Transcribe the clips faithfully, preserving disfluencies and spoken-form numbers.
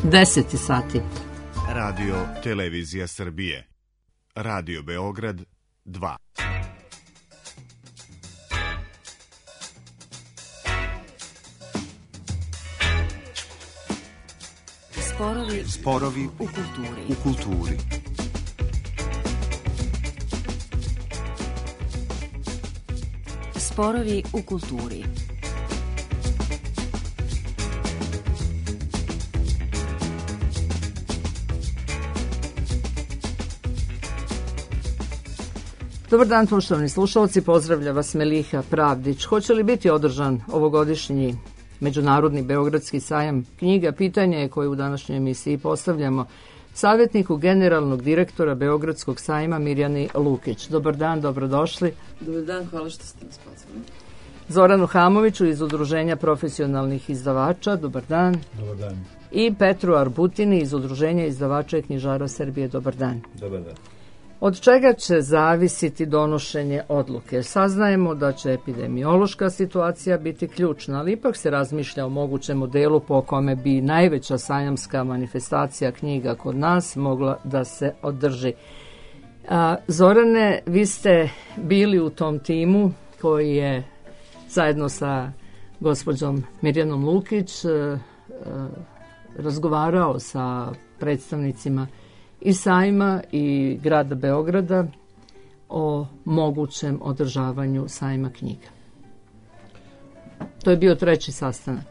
deset sati. Radio Televizija Srbije. Radio Beograd dva. Sporovi, Sporovi u kulturi. U kulturi. Sporovi u kulturi. Dobar dan, poštovani slušalci, pozdravlja vas Meliha Pravdić. Hoće li biti održan ovogodišnji Međunarodni Beogradski sajam knjiga? Pitanje je koje u današnjoj emisiji postavljamo savjetniku generalnog direktora Beogradskog sajma Mirjani Lukić. Dobar dan, dobrodošli. Dobar dan, hvala što ste nas pozvali. Zoranu Hamoviću iz Udruženja profesionalnih izdavača. Dobar dan. Dobar dan. I Petru Arbutini iz Udruženja izdavača i knjižara Srbije. Dobar dan. Dobar dan. Od čega će zavisiti donošenje odluke? Saznajemo da će epidemiološka situacija biti ključna, ali ipak se razmišlja o mogućem modelu po kome bi najveća sajamska manifestacija knjiga kod nas mogla da se održi. A, Zorane, vi ste bili u tom timu koji je zajedno sa gospođom Mirjanom Lukić a, a, razgovarao sa predstavnicima i sajma i grada Beograda o mogućem održavanju sajma knjiga. To je bio treći sastanak.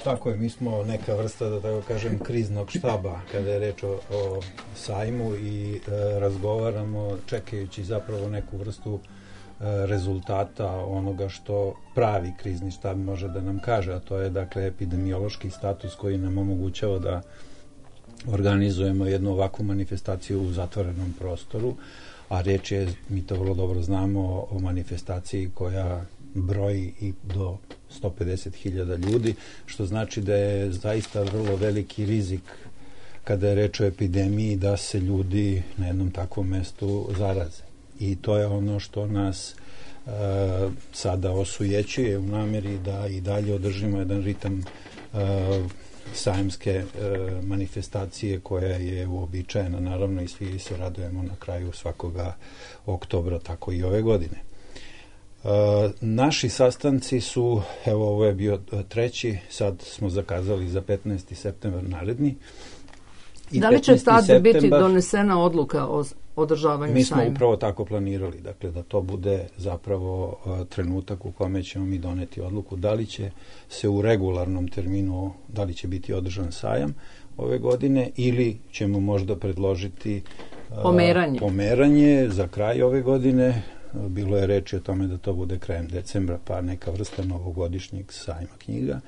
Tako je, mi smo neka vrsta, da tako kažem, kriznog štaba kada je reč o, o sajmu i e, razgovaramo čekajući zapravo neku vrstu e, rezultata onoga što pravi krizni štab može da nam kaže, a to je dakle epidemiološki status koji nam omogućava da organizujemo jednu ovakvu manifestaciju u zatvorenom prostoru, a reč je, mi to vrlo dobro znamo, o manifestaciji koja broji i do sto pedeset hiljada ljudi, što znači da je zaista vrlo veliki rizik kada je reč o epidemiji da se ljudi na jednom takvom mestu zaraze. I to je ono što nas e, sada osujećuje u nameri da i dalje održimo jedan ritam e, sajamske e, manifestacije koja je uobičajena, naravno, i svi se radujemo na kraju svakoga oktobra, tako i ove godine. E, naši sastanci su, evo ovo je bio treći, sad smo zakazali za petnaesti septembar naredni. I da li će tad septembar, biti donesena odluka o održavanju mi smo sajma? upravo tako planirali, dakle da to bude zapravo uh, trenutak u kome ćemo mi doneti odluku da li će se u regularnom terminu, da li će biti održan sajam ove godine ili ćemo možda predložiti uh, pomeranje. pomeranje za kraj ove godine. Bilo je reči o tome da to bude krajem decembra, pa neka vrsta novogodišnjeg sajma knjiga,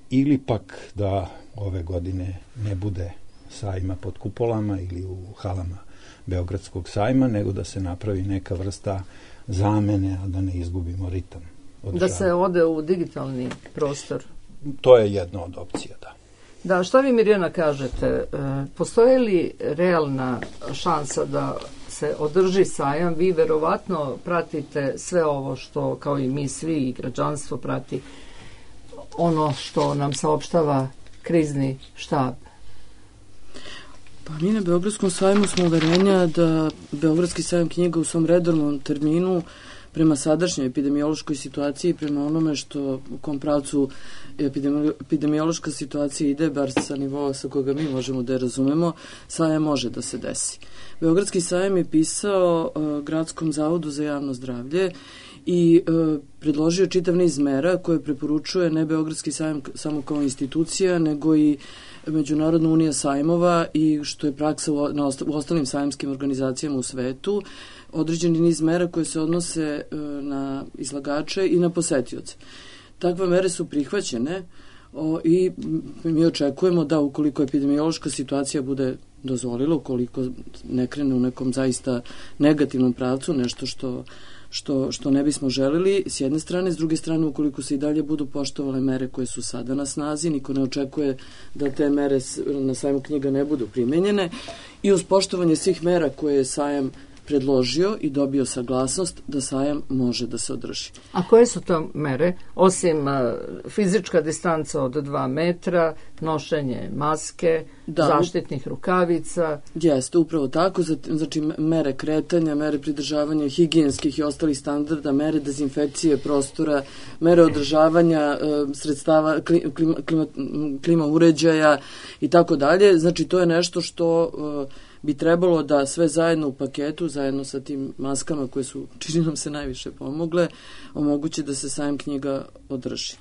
ili pak da ove godine ne bude sajma pod kupolama ili u halama Beogradskog sajma, nego da se napravi neka vrsta zamene, a da ne izgubimo ritam održavanja. Da se ode u digitalni prostor. To je jedna od opcija, da. Da, šta vi, Mirjana, kažete? E, postoje li realna šansa da se održi sajam? Vi verovatno pratite sve ovo što, kao i mi svi i građanstvo prati, ono što nam saopštava krizni štab. Pa mi na Beogradskom sajmu smo uverenja da Beogradski sajam knjiga u svom redovnom terminu prema sadašnjoj epidemiološkoj situaciji, prema onome što u kom pravcu epidemi, epidemiološka situacija ide, bar sa nivoa sa koga mi možemo da je razumemo, sajam može da se desi. Beogradski sajam je pisao uh, Gradskom zavodu za javno zdravlje i uh, predložio čitav niz mera koje preporučuje ne Beogradski sajam samo kao institucija, nego i Međunarodna unija sajmova i što je praksa u, na osta, u ostalim sajamskim organizacijama u svetu, određeni niz mera koje se odnose e, na izlagače i na posetioce. Takve mere su prihvaćene o, i mi očekujemo da ukoliko epidemiološka situacija bude dozvolila, ukoliko ne krene u nekom zaista negativnom pravcu, nešto što Što, što ne bismo želeli, s jedne strane, s druge strane, ukoliko se i dalje budu poštovale mere koje su sada na snazi, niko ne očekuje da te mere na sajmu knjiga ne budu primenjene i uz poštovanje svih mera koje je sajam predložio i dobio saglasnost da sajam može da se održi. A koje su to mere? Osim a, fizička distanca od dva metra, nošenje maske, da, zaštitnih rukavica. Jeste, upravo tako. Znači, mere kretanja, mere pridržavanja higijenskih i ostalih standarda, mere dezinfekcije prostora, mere održavanja e, sredstava klima, klima, klima uređaja i tako dalje. Znači, to je nešto što e, bi trebalo da sve zajedno u paketu, zajedno sa tim maskama koje su, čini nam se, najviše pomogle, omogući da se sajam knjiga održi.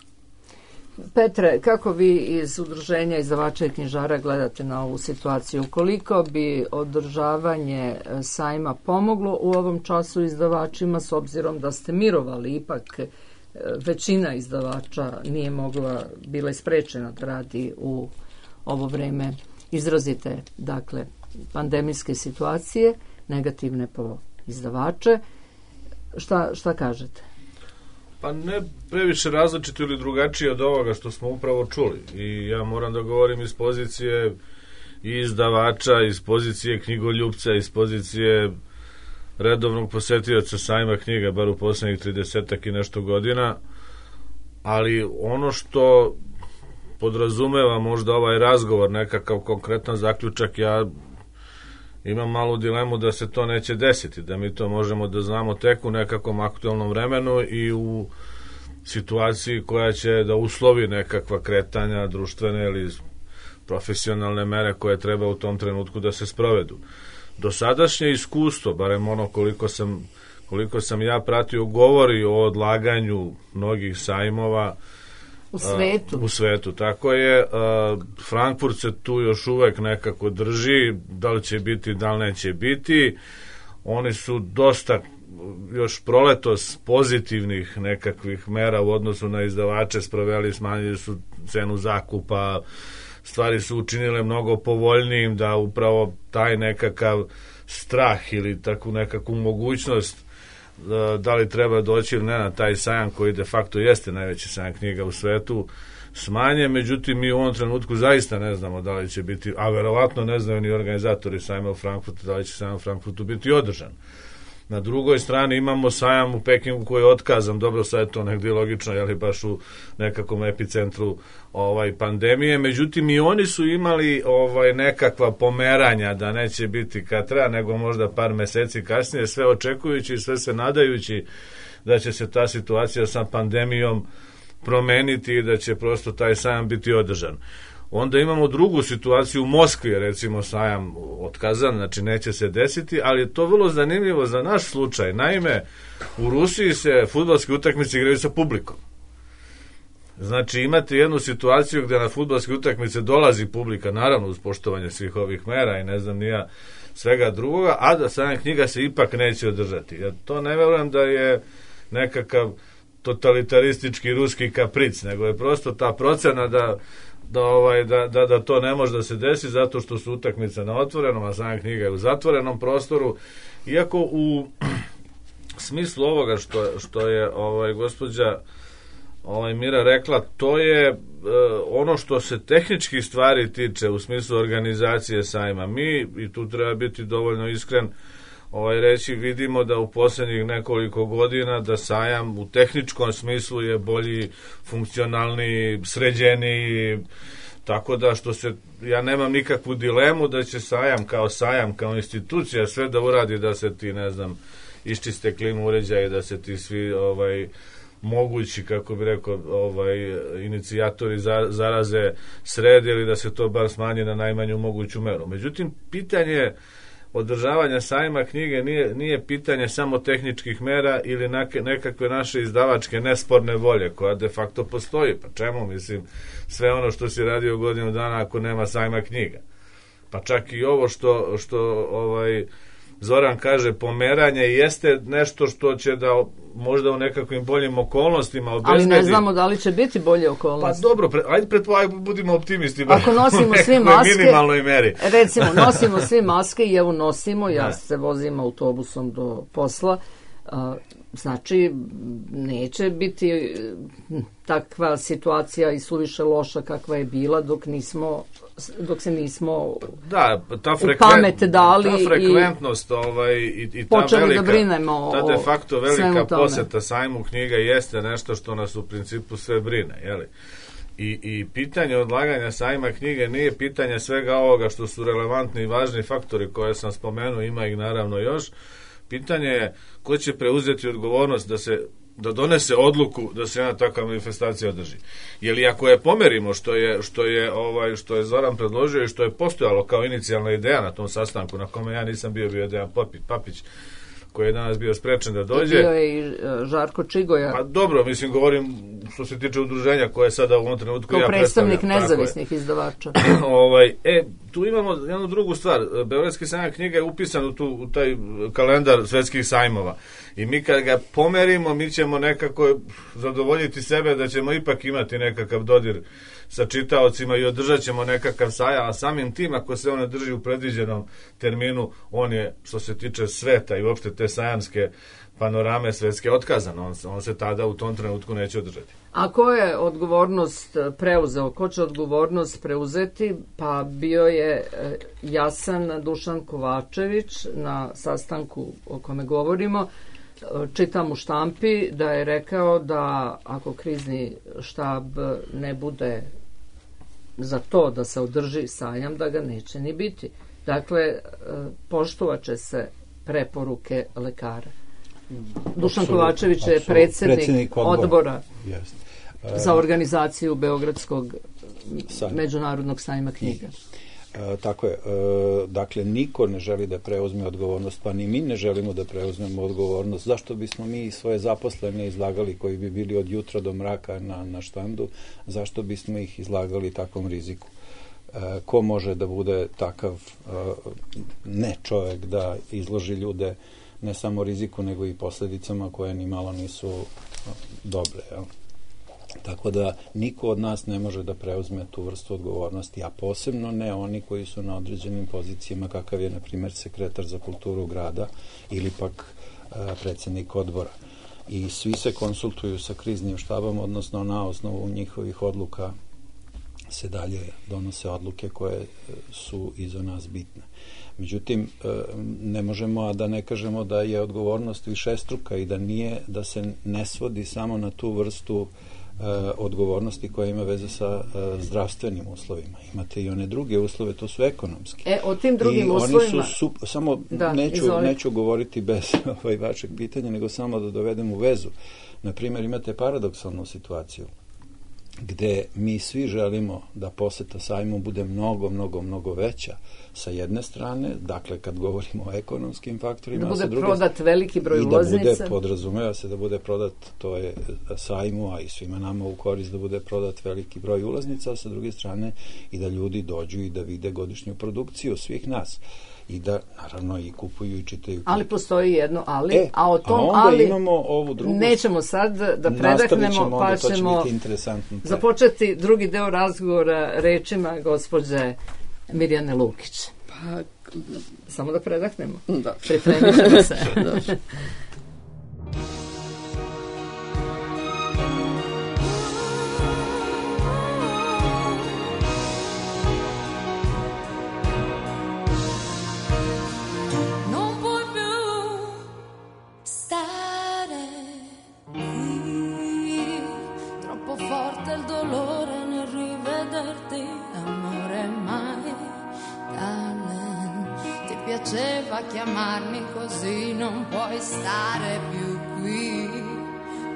Petre, kako vi iz Udruženja izdavača i knjižara gledate na ovu situaciju? Koliko bi održavanje sajma pomoglo u ovom času izdavačima, s obzirom da ste mirovali, ipak većina izdavača nije mogla, bila isprečena da radi u ovo vreme izrazite, dakle, pandemijske situacije, negativne po izdavače. Šta, šta kažete? Pa ne previše različito ili drugačije od ovoga što smo upravo čuli. I ja moram da govorim iz pozicije i izdavača, iz pozicije knjigoljupca, iz pozicije redovnog posetioca sajma knjiga, bar u poslednjih tridesetak i nešto godina. Ali ono što podrazumeva možda ovaj razgovor, nekakav konkretan zaključak, ja imam malu dilemu da se to neće desiti, da mi to možemo da znamo tek u nekakvom aktualnom vremenu i u situaciji koja će da uslovi nekakva kretanja društvene ili profesionalne mere koje treba u tom trenutku da se sprovedu. Dosadašnje iskustvo, barem ono koliko sam, koliko sam ja pratio, govori o odlaganju mnogih sajmova u svetu. Uh, u svetu, tako je. Uh, Frankfurt se tu još uvek nekako drži, da li će biti, da li neće biti. Oni su dosta još proletos pozitivnih nekakvih mera u odnosu na izdavače sproveli, smanjili su cenu zakupa, stvari su učinile mnogo povoljnijim, da upravo taj nekakav strah ili takvu nekakvu mogućnost da li treba doći ili ne na taj sajam koji de facto jeste najveći sajam knjiga u svetu smanje, međutim mi u ovom trenutku zaista ne znamo da li će biti, a verovatno ne znaju ni organizatori sajma u Frankfurtu, da li će sajam u Frankfurtu biti održan. Na drugoj strani imamo sajam u Pekingu koji je otkazan, dobro, sad je to negdje logično, jel, baš u nekakvom epicentru ovaj, pandemije, međutim i oni su imali ovaj, nekakva pomeranja da neće biti kad treba, nego možda par meseci kasnije, sve očekujući i sve se nadajući da će se ta situacija sa pandemijom promeniti i da će prosto taj sajam biti održan. Onda imamo drugu situaciju u Moskvi, recimo sajam otkazan, znači neće se desiti, ali je to vrlo zanimljivo za naš slučaj. Naime, u Rusiji se fudbalske utakmice igraju sa publikom. Znači imate jednu situaciju gde na fudbalske utakmice dolazi publika, naravno uz poštovanje svih ovih mera i ne znam nija svega drugoga, a da sajam knjiga se ipak neće održati. Ja to ne verujem da je nekakav totalitaristički ruski kapric, nego je prosto ta procena da Da, ovaj, da, da, da to ne može da se desi zato što su utakmice na otvorenom, a sajam knjiga je u zatvorenom prostoru. Iako u smislu ovoga što, što je ovaj, gospođa ovaj, Mira rekla, to je e, ono što se tehničkih stvari tiče u smislu organizacije sajma. Mi, i tu treba biti dovoljno iskren, ovaj, reći, vidimo da u posljednjih nekoliko godina da sajam u tehničkom smislu je bolji, funkcionalniji, sređeniji, tako da što se, ja nemam nikakvu dilemu da će sajam kao sajam, kao institucija sve da uradi da se ti, ne znam, iščiste klimu uređaje, da se ti svi ovaj, mogući, kako bi rekao, ovaj, inicijatori za, zaraze srede ili da se to bar smanji na najmanju moguću meru. Međutim, pitanje održavanja sajma knjige nije, nije pitanje samo tehničkih mera ili nekakve naše izdavačke nesporne volje koja de facto postoji. Pa čemu, mislim, sve ono što si radio godinu dana ako nema sajma knjiga? Pa čak i ovo što, što ovaj, Zoran kaže, pomeranje jeste nešto što će da možda u nekakvim boljim okolnostima obezbedi. Ali ne znamo da li će biti bolje okolnosti. Pa dobro, pre, ajde pretpostavljamo, budimo optimisti. Ako nosimo svi maske, minimalnoj meri. Recimo, nosimo svi maske i evo nosimo, ja ne. se vozim autobusom do posla, a, znači neće biti takva situacija i suviše loša kakva je bila dok nismo dok se nismo da, ta u pamet dali ta frekventnost i, ovaj, i, i ta velika, da brinemo ta de facto velika poseta tome. Sajmu knjiga jeste nešto što nas u principu sve brine, jeli? I, i pitanje odlaganja Sajma knjige nije pitanje svega ovoga što su relevantni i važni faktori koje sam spomenuo, ima ih naravno još. Pitanje je ko će preuzeti odgovornost da se da donese odluku da se jedna takva manifestacija održi. Jer ako je pomerimo što je što je ovaj što je Zoran predložio i što je postojalo kao inicijalna ideja na tom sastanku na kome ja nisam bio bio Dejan Papić, Papić koji je danas bio sprečen da dođe. Bio je i Žarko Čigoja. Pa dobro, mislim, govorim što se tiče udruženja koje sada u ovom trenutku kao ja predstavljam. Kao predstavnik nezavisnih izdavača. ovaj, e, tu imamo jednu drugu stvar. Beogradski sajam knjiga je upisan u, tu, u taj kalendar svetskih sajmova. I mi kad ga pomerimo, mi ćemo nekako zadovoljiti sebe da ćemo ipak imati nekakav dodir sa čitaocima i održat ćemo nekakav sajam, a samim tim ako se on drži u predviđenom terminu, on je, što se tiče sveta i uopšte te sajamske panorame svetske otkazan, on, on se tada u tom trenutku neće održati. A ko je odgovornost preuzeo? Ko će odgovornost preuzeti? Pa bio je jasan Dušan Kovačević na sastanku o kome govorimo. Čitam u štampi da je rekao da ako krizni štab ne bude za to da se održi sajam, da ga neće ni biti. Dakle, poštovat će se preporuke lekara. Dušan Kovačević je predsjednik, predsjednik odbora, odbora za organizaciju Beogradskog sajma. Međunarodnog sajma knjiga. E, tako je. E, dakle, niko ne želi da preuzme odgovornost, pa ni mi ne želimo da preuzmemo odgovornost. Zašto bismo mi svoje zaposlene izlagali koji bi bili od jutra do mraka na, na štandu, zašto bismo ih izlagali takvom riziku? E, ko može da bude takav e, ne čovjek da izloži ljude ne samo riziku, nego i posljedicama koje ni malo nisu dobre. Jel? Tako da niko od nas ne može da preuzme tu vrstu odgovornosti, a posebno ne oni koji su na određenim pozicijama, kakav je, na primjer, sekretar za kulturu grada ili pak e, predsjednik odbora. I svi se konsultuju sa kriznim štabom, odnosno na osnovu njihovih odluka se dalje donose odluke koje su i za nas bitne. Međutim, ne možemo a da ne kažemo da je odgovornost višestruka i da nije, da se ne svodi samo na tu vrstu odgovornosti koja ima veze sa zdravstvenim uslovima. Imate i one druge uslove, to su ekonomski. E, o tim drugim I uslovima... Oni su, su, samo da, neću, neću govoriti bez ovaj vašeg pitanja, nego samo da dovedem u vezu. Naprimjer, imate paradoksalnu situaciju gde mi svi želimo da poseta sajmu bude mnogo, mnogo, mnogo veća sa jedne strane, dakle kad govorimo o ekonomskim faktorima, da bude druge, prodat veliki broj ulaznica. I da bude, podrazumeva se da bude prodat, to je sajmu, a i svima nama u korist da bude prodat veliki broj ulaznica, a sa druge strane i da ljudi dođu i da vide godišnju produkciju svih nas. I da, naravno, i kupuju i čitaju knjige. Ali postoji jedno ali, e, a o tom a onda ali imamo ovu drugu... Nećemo sad da predahnemo, pa ćemo započeti drugi deo razgovora rečima gospođe Mirjane Lukić. Pa... Samo da predahnemo. Da. Pripremit ćemo se. Da. Piaceva chiamarmi così, non puoi stare più qui.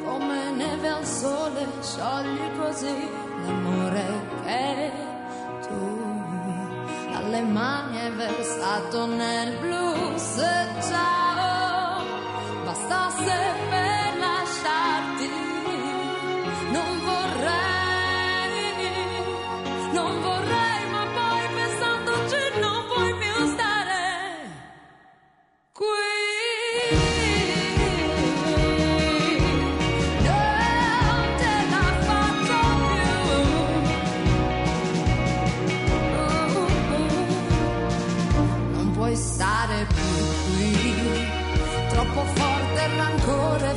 Come neve al sole sciogli così l'amore che tu alle mani hai versato nel blu. Se ciao bastasse per lasciarti, non vorrei, non vorrei, ma poi pensandoci non puoi più stare qui. Non te la faccio più. Uh, uh, non puoi stare più qui. Troppo forte il rancore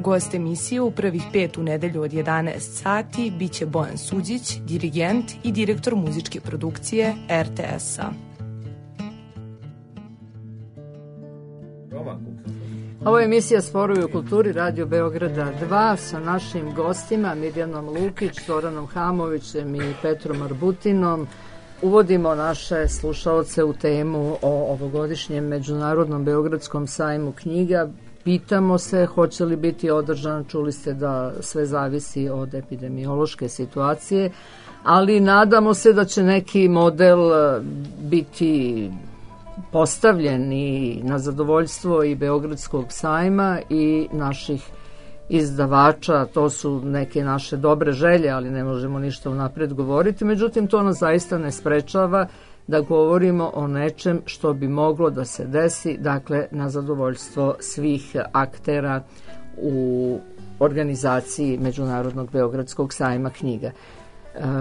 Gost emisije u prvih pet u nedelju od jedanaest sati biće Bojan Suđić, dirigent i direktor muzičke produkcije er te es-a. Ovo je emisija Sporovi u kulturi Radio Beograda dva sa našim gostima Mirjanom Lukić, Zoranom Hamovićem i Petrom Arbutinom. Uvodimo naše slušaoce u temu o ovogodišnjem Međunarodnom Beogradskom sajmu knjiga. Pitamo se hoće li biti održan, čuli ste da sve zavisi od epidemiološke situacije, ali nadamo se da će neki model biti postavljen i na zadovoljstvo i Beogradskog sajma i naših izdavača. To su neke naše dobre želje, ali ne možemo ništa unapred govoriti. Međutim, to nas zaista ne sprečava da govorimo o nečem što bi moglo da se desi, dakle, na zadovoljstvo svih aktera u organizaciji Međunarodnog Beogradskog sajma knjiga. E,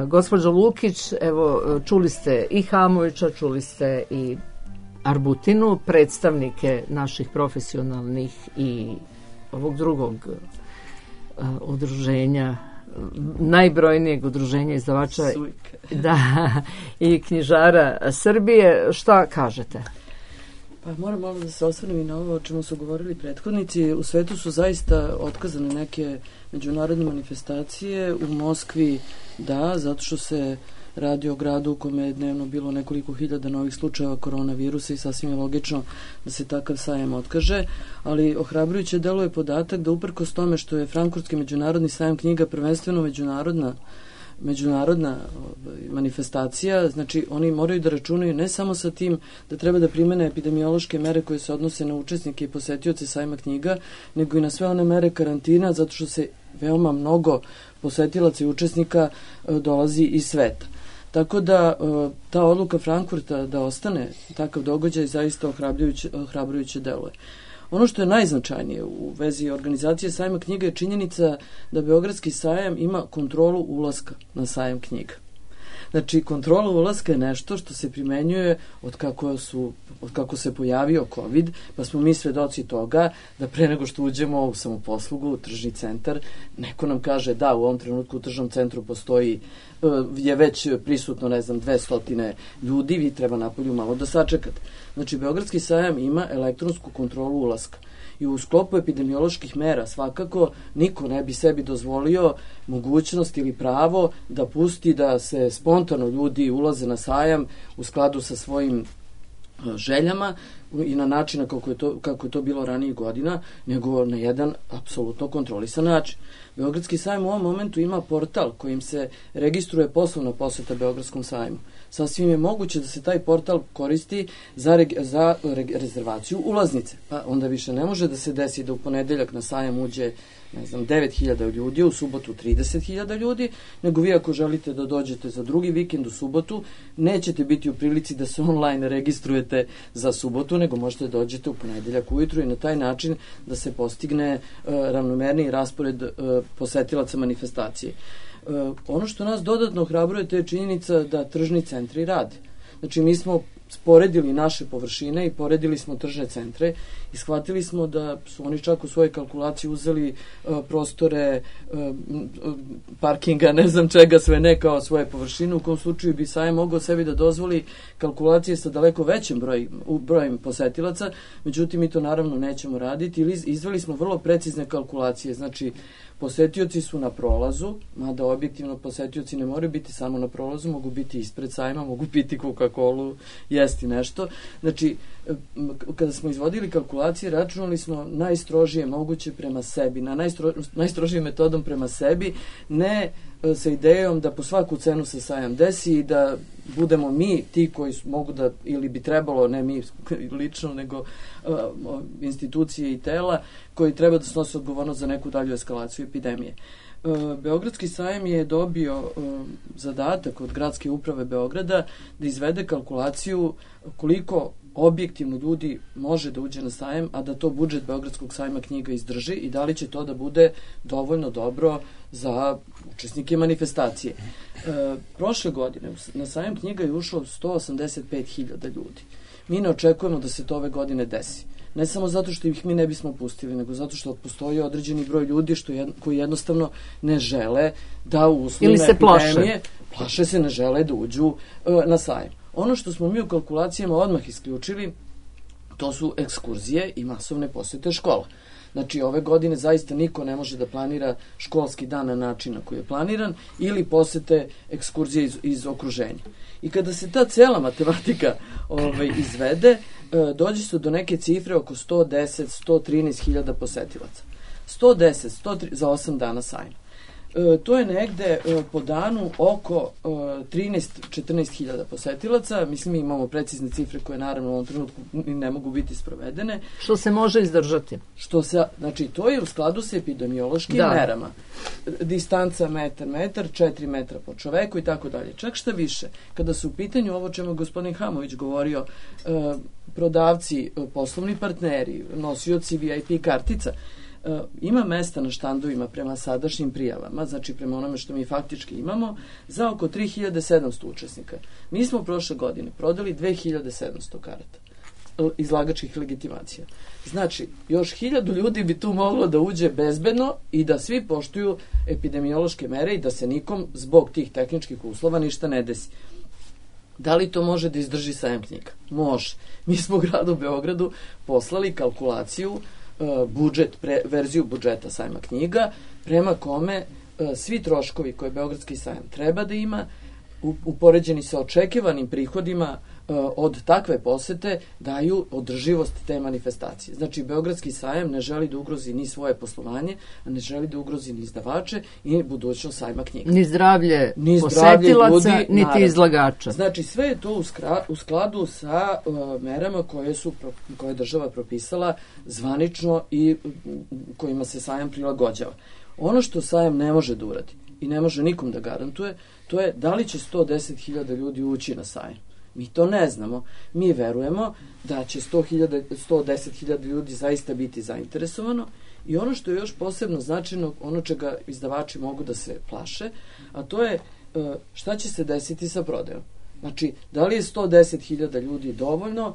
gospođo Lukić, evo, čuli ste i Hamovića, čuli ste i Arbutinu, predstavnike naših profesionalnih i ovog drugog uh, udruženja, najbrojnijeg udruženja izdavača da, i knjižara Srbije. Šta kažete? Pa moram malo da se osvrnem i na ovo o čemu su govorili prethodnici. U svetu su zaista otkazane neke međunarodne manifestacije. U Moskvi da, zato što se radi o gradu u kome je dnevno bilo nekoliko hiljada novih slučajeva koronavirusa i sasvim je logično da se takav sajam otkaže, ali ohrabrujuće deluje podatak da uprkos tome što je Frankfurtski međunarodni sajam knjiga prvenstveno međunarodna međunarodna manifestacija, znači oni moraju da računaju ne samo sa tim da treba da primene epidemiološke mere koje se odnose na učesnike i posetioce sajma knjiga, nego i na sve one mere karantina, zato što se veoma mnogo posetilaca i učesnika dolazi iz sveta. Tako da ta odluka Frankfurta da ostane takav događaj zaista ohrabrujuće, ohrabrujuće deluje. Ono što je najznačajnije u vezi organizacije sajma knjiga je činjenica da Beogradski sajam ima kontrolu ulaska na sajam knjiga. Znači, kontrola ulaska je nešto što se primenjuje od kako, su, od kako se pojavio COVID, pa smo mi svedoci toga da pre nego što uđemo u samoposlugu, u tržni centar, neko nam kaže da u ovom trenutku u tržnom centru postoji, je već prisutno, ne znam, dvesta ljudi, vi treba napolju malo da sačekate. Znači, Beogradski sajam ima elektronsku kontrolu ulaska. I u sklopu epidemioloških mera svakako niko ne bi sebi dozvolio mogućnost ili pravo da pusti da se spontano ljudi ulaze na sajam u skladu sa svojim željama i na način kako je to, kako je to bilo ranijih godina, nego na jedan apsolutno kontrolisan način. Beogradski sajam u ovom momentu ima portal kojim se registruje poslovna poseta Beogradskom sajmu. Sasvim je moguće da se taj portal koristi za, reg, za reg, rezervaciju ulaznice. Pa onda više ne može da se desi da u ponedeljak na sajam uđe, ne znam, devet hiljada ljudi, u subotu trideset hiljada ljudi, nego vi ako želite da dođete za drugi vikend u subotu, nećete biti u prilici da se online registrujete za subotu, nego možete da dođete u ponedeljak ujutru i na taj način da se postigne uh, ravnomerniji raspored uh, posetilaca manifestacije. Uh, ono što nas dodatno ohrabruje to je činjenica da tržni centri rade. Znači mi smo sporedili naše površine i poredili smo tržne centre i shvatili smo da su oni čak u svojoj kalkulaciji uzeli uh, prostore uh, parkinga, ne znam čega sve ne kao svoje površine, u kom slučaju bi sajam mogao sebi da dozvoli kalkulacije sa daleko većim broj, brojem posetilaca, međutim mi to naravno nećemo raditi ili izveli smo vrlo precizne kalkulacije, znači posetioci su na prolazu, mada objektivno posetioci ne moraju biti samo na prolazu, mogu biti ispred sajma, mogu piti Coca-Colu, jesti nešto. Znači, kada smo izvodili kalkulacije, računali smo najstrožije moguće prema sebi, na najstro, najstrožijim metodom prema sebi, ne sa idejom da po svaku cenu se sajam desi i da budemo mi ti koji mogu da, ili bi trebalo, ne mi lično, nego uh, institucije i tela koji treba da snose odgovornost za neku dalju eskalaciju epidemije. Uh, Beogradski sajam je dobio uh, zadatak od Gradske uprave Beograda da izvede kalkulaciju koliko objektivno ljudi može da uđe na sajam, a da to budžet Beogradskog sajma knjiga izdrži i da li će to da bude dovoljno dobro za učesnike manifestacije. E, prošle godine na sajam knjiga je ušlo sto osamdeset pet hiljada ljudi. Mi ne očekujemo da se to ove godine desi. Ne samo zato što ih mi ne bismo pustili, nego zato što postoji određeni broj ljudi što jed, koji jednostavno ne žele da u uslovima epidemije, plaše se, ne žele da uđu uh, na sajam. Ono što smo mi u kalkulacijama odmah isključili, to su ekskurzije i masovne posete škola. Znači, ove godine zaista niko ne može da planira školski dan na način na koji je planiran ili posete ekskurzije iz, iz okruženja. I kada se ta cela matematika ovaj, izvede, dođe se do neke cifre oko sto deset do sto trinaest hiljada posetilaca. sto deset, sto tri, za osam dana sajma. E, to je negde e, po danu oko e, trinaest do četrnaest hiljada posetilaca. Mislim, mi imamo precizne cifre koje naravno u ovom trenutku ne mogu biti sprovedene. Što se može izdržati? Što se, znači, to je u skladu sa epidemiološkim da. merama. Distanca metar, metar, četiri metra po čoveku i tako dalje. Čak šta više, kada su u pitanju ovo čemu je gospodin Hamović govorio, e, prodavci, poslovni partneri, nosioci V I P kartica, ima mesta na štandovima prema sadašnjim prijavama, znači prema onome što mi faktički imamo, za oko tri hiljade sedamsto učesnika. Mi smo prošle godine prodali dve hiljade sedamsto karata izlagačkih legitimacija. Znači, još hiljadu ljudi bi tu moglo da uđe bezbedno i da svi poštuju epidemiološke mere i da se nikom zbog tih tehničkih uslova ništa ne desi. Da li to može da izdrži sajam knjiga? Može. Mi smo u gradu Beogradu poslali kalkulaciju, uh, budžet, pre, verziju budžeta sajma knjiga, prema kome uh, svi troškovi koje Beogradski sajam treba da ima, u, upoređeni sa očekivanim prihodima uh, od takve posete, daju održivost te manifestacije. Znači, Beogradski sajam ne želi da ugrozi ni svoje poslovanje, a ne želi da ugrozi ni izdavače i budućnost sajma knjiga. Ni zdravlje ni posetilaca, ljudi, niti naravno. Izlagača. Znači, sve je to u, skra, u skladu sa uh, merama koje su koje je država propisala zvanično i kojima se sajam prilagođava. Ono što sajam ne može da uradi i ne može nikom da garantuje, to je da li će sto deset hiljada ljudi ući na sajam. Mi to ne znamo. Mi verujemo da će sto hiljada, sto deset hiljada ljudi zaista biti zainteresovano i ono što je još posebno značajno, ono čega izdavači mogu da se plaše, a to je šta će se desiti sa prodajom. Znači, da li je sto deset hiljada ljudi dovoljno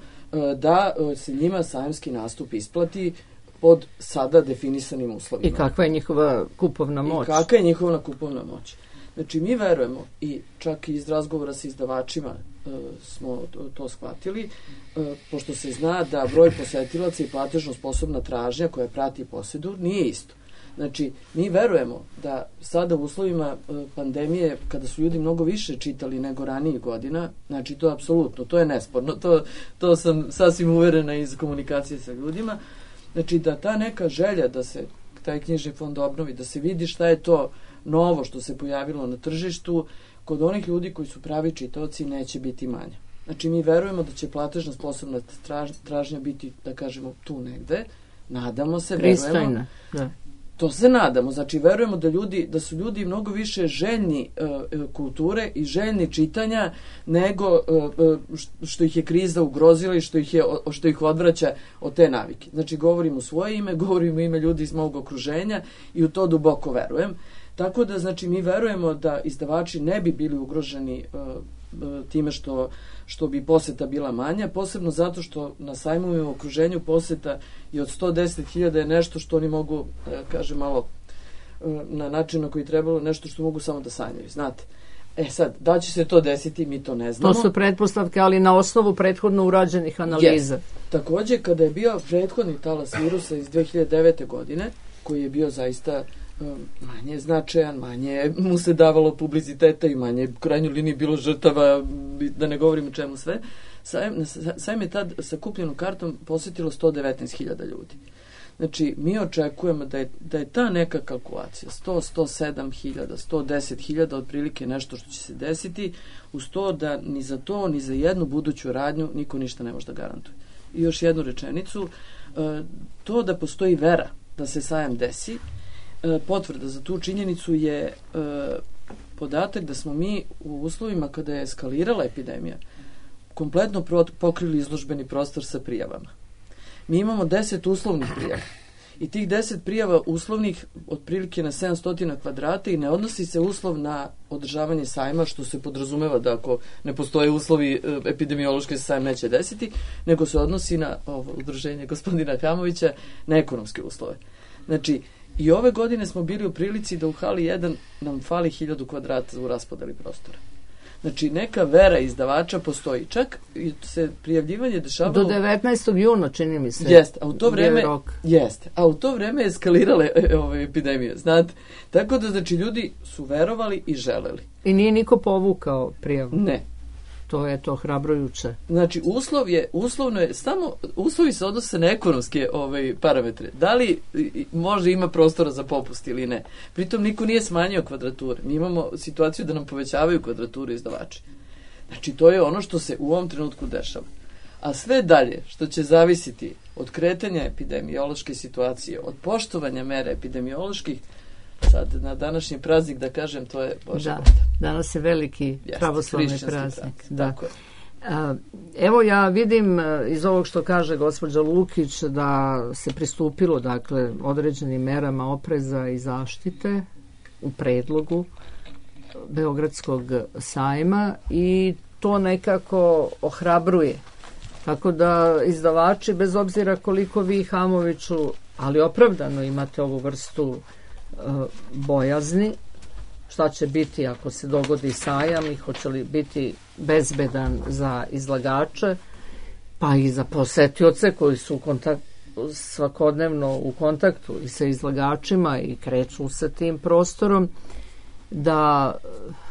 da se njima sajamski nastup isplati pod sada definisanim uslovima. I kakva je njihova kupovna moć? I kakva je njihova kupovna moć. Znači, mi verujemo i čak i iz razgovora sa izdavačima e, smo to, to shvatili, e, pošto se zna da broj posetilaca i platežno sposobna tražnja koja prati posedu nije isto. Znači, mi verujemo da sada u uslovima e, pandemije, kada su ljudi mnogo više čitali nego ranijih godina, znači to je apsolutno, to je nesporno, to, to sam sasvim uverena iz komunikacije sa ljudima, znači da ta neka želja da se taj knjižni fond obnovi, da se vidi šta je to novo što se pojavilo na tržištu, kod onih ljudi koji su pravi čitaoci neće biti manja. Znači, mi verujemo da će platežna sposobna traž, tražnja biti, da kažemo, tu negde. Nadamo se, Pristojna. verujemo. Da. To se nadamo. Znači, verujemo da ljudi, da su ljudi mnogo više željni uh, kulture i željni čitanja nego uh, što ih je kriza ugrozila i što ih, je, što ih odvraća od te navike. Znači, govorim u svoje ime, govorim u ime ljudi iz mog okruženja i u to duboko verujem. Tako da, znači, mi verujemo da izdavači ne bi bili ugroženi uh, uh, time što, što bi poseta bila manja, posebno zato što na sajmovima u okruženju poseta i od sto deset hiljada je nešto što oni mogu, da kažem malo uh, na način na koji trebalo, nešto što mogu samo da sanjaju, znate. E sad, da će se to desiti, mi to ne znamo. To su pretpostavke, ali na osnovu prethodno urađenih analiza. Yes. Takođe, kada je bio prethodni talas virusa iz dve hiljade devete. godine, koji je bio zaista manje značajan, manje mu se davalo publiciteta i manje u krajnjoj liniji bilo žrtava, da ne govorim o čemu sve. Sajam, sajam je tad sa kupljenom kartom posetilo sto devetnaest hiljada ljudi. Znači, mi očekujemo da je, da je ta neka kalkulacija sto do sto sedam hiljada, sto deset hiljada otprilike nešto što će se desiti, uz to da ni za to, ni za jednu buduću radnju niko ništa ne može da garantuje. I još jednu rečenicu, to da postoji vera da se sajam desi, potvrda za tu činjenicu je e, podatak da smo mi u uslovima kada je eskalirala epidemija kompletno pro, pokrili izložbeni prostor sa prijavama. Mi imamo deset uslovnih prijava I tih deset prijava uslovnih otprilike na sedamsto kvadrata i ne odnosi se uslov na održavanje sajma, što se podrazumeva da ako ne postoje uslovi e, epidemiološki se sajam neće desiti, nego se odnosi na ovo udruženje gospodina Hamovića na ekonomske uslove. Znači, i ove godine smo bili u prilici da u hali jedan nam fali hiljadu kvadrata u raspodeli prostora. Znači, neka vera izdavača postoji. Čak i se prijavljivanje dešavalo... Do devetnaestog juna, čini mi se. Jeste, a u to vreme... Jeste, a u to vreme eskalirale e, ove epidemije, znate. Tako da, znači, ljudi su verovali i želeli. I nije niko povukao prijavu? Ne. To je to hrabrujuće. Znači, uslov je, uslovno je, samo, uslovi se odnose na ekonomske ovaj, parametre. Da li može ima prostora za popust ili ne. Pritom niko nije smanjio kvadrature. Mi imamo situaciju da nam povećavaju kvadraturu izdavači. Znači, to je ono što se u ovom trenutku dešava. A sve dalje, što će zavisiti od kretanja epidemiološke situacije, od poštovanja mera epidemioloških, sad na današnji praznik da kažem, to je Bože da, Boda. Danas je veliki Jeste, pravoslavni hrišćanski praznik. praznik, Da. tako je. A, evo ja vidim iz ovog što kaže gospođa Lukić da se pristupilo dakle određenim merama opreza i zaštite u predlogu Beogradskog sajma i to nekako ohrabruje. Tako da izdavači, bez obzira koliko vi Hamoviću, ali opravdano imate ovu vrstu bojazni, šta će biti ako se dogodi sajam i hoće li biti bezbedan za izlagače, pa i za posetioce koji su u kontakt, svakodnevno u kontaktu i sa izlagačima i kreću sa tim prostorom, da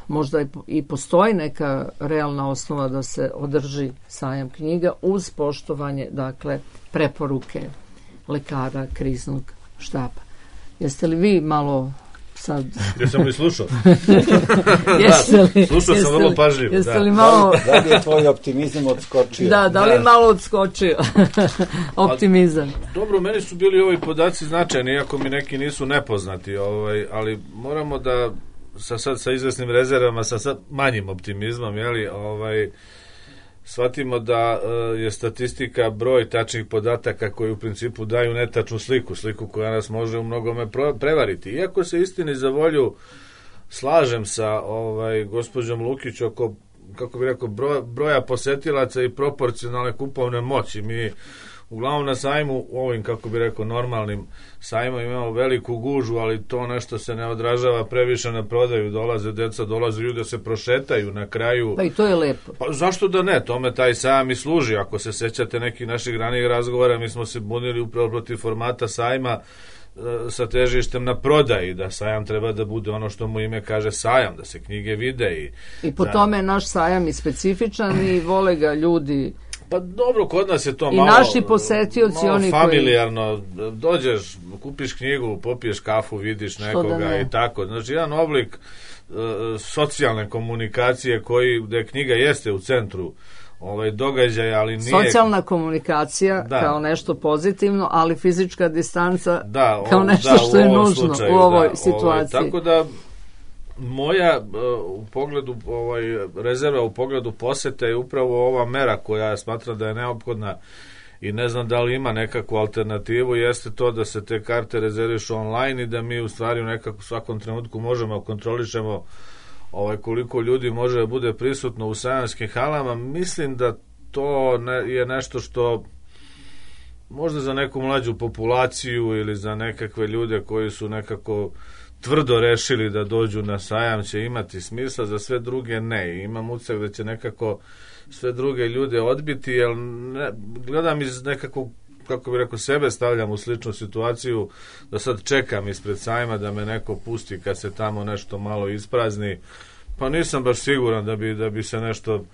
možda i postoji neka realna osnova da se održi sajam knjiga uz poštovanje, dakle, preporuke lekara kriznog štaba. Jeste li vi malo sad... Jesam li slušao? Jeste li, slušao sam vrlo pažljivo. Jeste da. li malo... Da li je tvoj optimizam odskočio? Da, da li Da. malo odskočio optimizam? A, dobro, meni su bili ovi podaci značajni, iako mi neki nisu nepoznati, ovaj, ali moramo da sa, sad, sa izvesnim rezervama, sa, sa manjim optimizmom, jeli, ovaj, shvatimo da uh, je statistika broj tačnih podataka koji u principu daju netačnu sliku, sliku koja nas može u mnogome pro, prevariti. Iako se istini za volju slažem sa ovaj, gospođom Lukić oko, kako bi rekao, broja, broja posetilaca i proporcionalne kupovne moći. Mi uglavnom na sajmu, ovim, kako bi rekao, normalnim sajmom imamo veliku gužu, ali to nešto se ne odražava previše na prodaju, dolaze deca, dolaze ljudi da se prošetaju na kraju. Pa i to je lepo. Pa zašto da ne, tome taj sajam i služi. Ako se sećate nekih naših ranijih razgovora, mi smo se bunili upravo protiv formata sajma e, sa težištem na prodaji, da sajam treba da bude ono što mu ime kaže sajam, da se knjige vide. I, I po da, tome je naš sajam i specifičan i vole ga ljudi. Pa dobro, kod nas je to I malo... naši posetioci, malo oni koji... familijarno, dođeš, kupiš knjigu, popiješ kafu, vidiš nekoga da i tako. Znači, jedan oblik uh, socijalne komunikacije koji, da knjiga jeste u centru ovaj događaja, ali nije... Socijalna komunikacija da. kao nešto pozitivno, ali fizička distanca da, kao o, nešto da, što je nužno slučaju, u ovoj da, situaciji. Ovaj, tako da moja uh, u pogledu ovaj rezerva u pogledu posete je upravo ova mera koja smatram da je neophodna i ne znam da li ima nekakvu alternativu, jeste to da se te karte rezervišu online i da mi u stvari u nekakvom svakom trenutku možemo kontrolišemo ovaj koliko ljudi može da bude prisutno u sajamskim halama. Mislim da to ne, je nešto što možda za neku mlađu populaciju ili za nekakve ljude koji su nekako tvrdo rešili da dođu na sajam će imati smisla, za sve druge ne. Imam utisak da će nekako sve druge ljude odbiti, jer ne, gledam iz nekakvog, kako bi rekao, sebe stavljam u sličnu situaciju, da sad čekam ispred sajma da me neko pusti kad se tamo nešto malo isprazni, pa nisam baš siguran da bi, da bi se nešto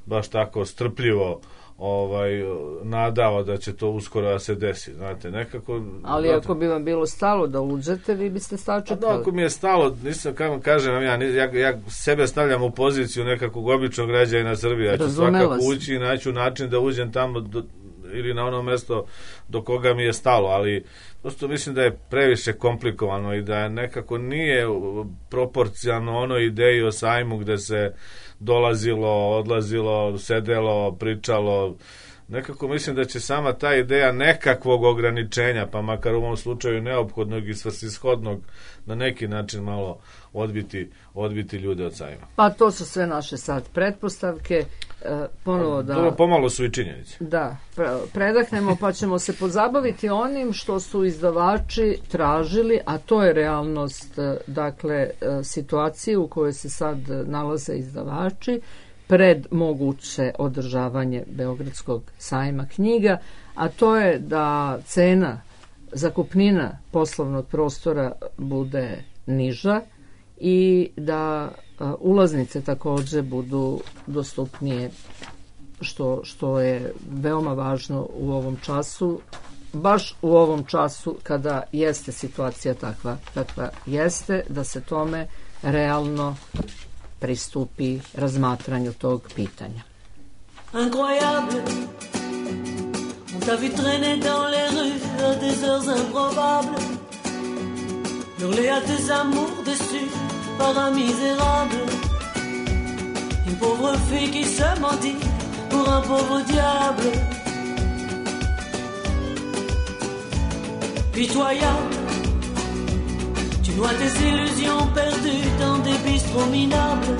baš tako strpljivo ovaj nadao da će to uskoro da se desi, znate, nekako... Ali znate, ako bi vam bilo stalo da uđete, vi biste sačekali. Da, ako mi je stalo, nisam, kako kažem, ja, ja, ja sebe stavljam u poziciju nekakvog običnog građanina Srbije, ja ću svakako ući i naću način da uđem tamo do, ili na ono mesto do koga mi je stalo, ali prosto mislim da je previše komplikovano i da nekako nije proporcionalno onoj ideji o sajmu gde se dolazilo, odlazilo, sedelo, pričalo, nekako mislim da će sama ta ideja nekakvog ograničenja, pa makar u ovom slučaju neophodnog i svrsishodnog, na neki način malo odbiti, odbiti ljude od sajma. Pa to su sve naše sad pretpostavke. E, ponovo da... To pomalo su i činjenice. Da, predahnemo pa ćemo se pozabaviti onim što su izdavači tražili, a to je realnost, dakle, situacije u kojoj se sad nalaze izdavači pred moguće održavanje Beogradskog sajma knjiga, a to je da cena, zakupnina poslovnog prostora bude niža i da a, ulaznice takođe budu dostupnije, što, što je veoma važno u ovom času, baš u ovom času kada jeste situacija takva, takva jeste, da se tome realno pristupi razmatranju tog pitanja. Incroyable, on t'a vu traîner dans les rues à des heures improbables, hurler à tes amours déçus par un misérable, une pauvre fille qui se mendie pour un pauvre diable, pitoyable. Tu noies tes illusions perdues dans des bistrots minables.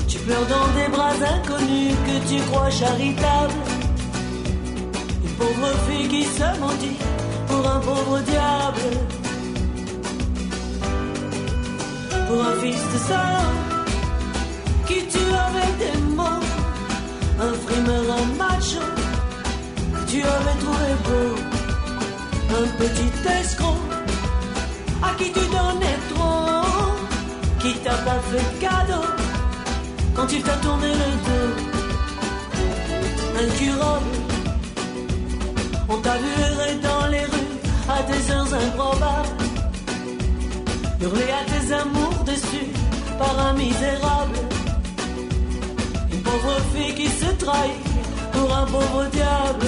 Tu pleures dans des bras inconnus que tu crois charitables. Une pauvre fille qui se mendie pour un pauvre diable. Pour un fils de salaud qui tue avec des mots. Un frimeur, un macho que tu avais trouvé beau. Un petit escroc à qui tu donnais trop, qui t'a pas fait de cadeau quand il t'a tourné le dos. Incurable, on t'a vu errer dans les rues à des heures improbables, hurler à tes amours déçus par un misérable, une pauvre fille qui se trahit pour un pauvre diable.